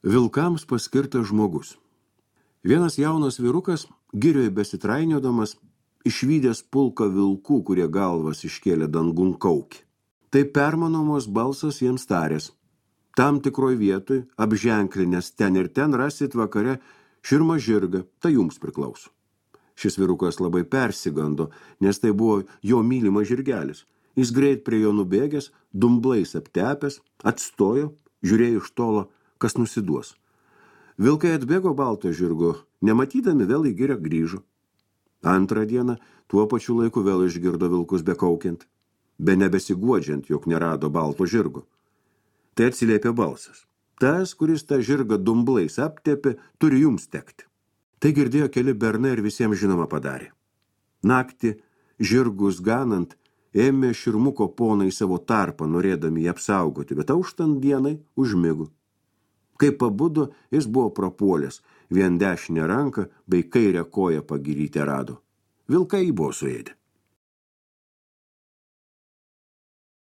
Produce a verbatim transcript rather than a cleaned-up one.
Vilkams paskirtas žmogus. Vienas jaunas vyrukas, girioje besitrainiodamas, išvydęs pulką vilkų, kurie galvas iškėlė dangun kaukį. Tai permanomos balsas jiems tarės. Tam tikroj vietoj, apženklinės ten ir ten rasit vakare širmą žirgą, tai jums priklauso. Šis vyrukas labai persigando, nes tai buvo jo mylimas žirgelis. Jis greit prie jo nubėgęs, dumblais aptepęs, atstojo, žiūrėjo iš tolo, kas nusiduos. Vilkai atbėgo balto žirgo, nematydami vėl į girią grįžo. Antrą dieną tuo pačiu laiku vėl išgirdo vilkus bekaukiant, be nebesiguodžiant, jog nerado balto žirgo. Tai atsiliepė balsas. Tas, kuris tą žirgą dumblais aptepė, turi jums tekti. Tai girdėjo keli bernai ir visiems žinoma padarė. Naktį, žirgus ganant, ėmė širmuko ponai savo tarpą, norėdami jį apsaugoti, bet auštant dienai užmigo. Kai pabudo, jis buvo prapuolęs, vien dešinę ranką bei kairę koją pagiryti rado. Vilkai buvo suėdę.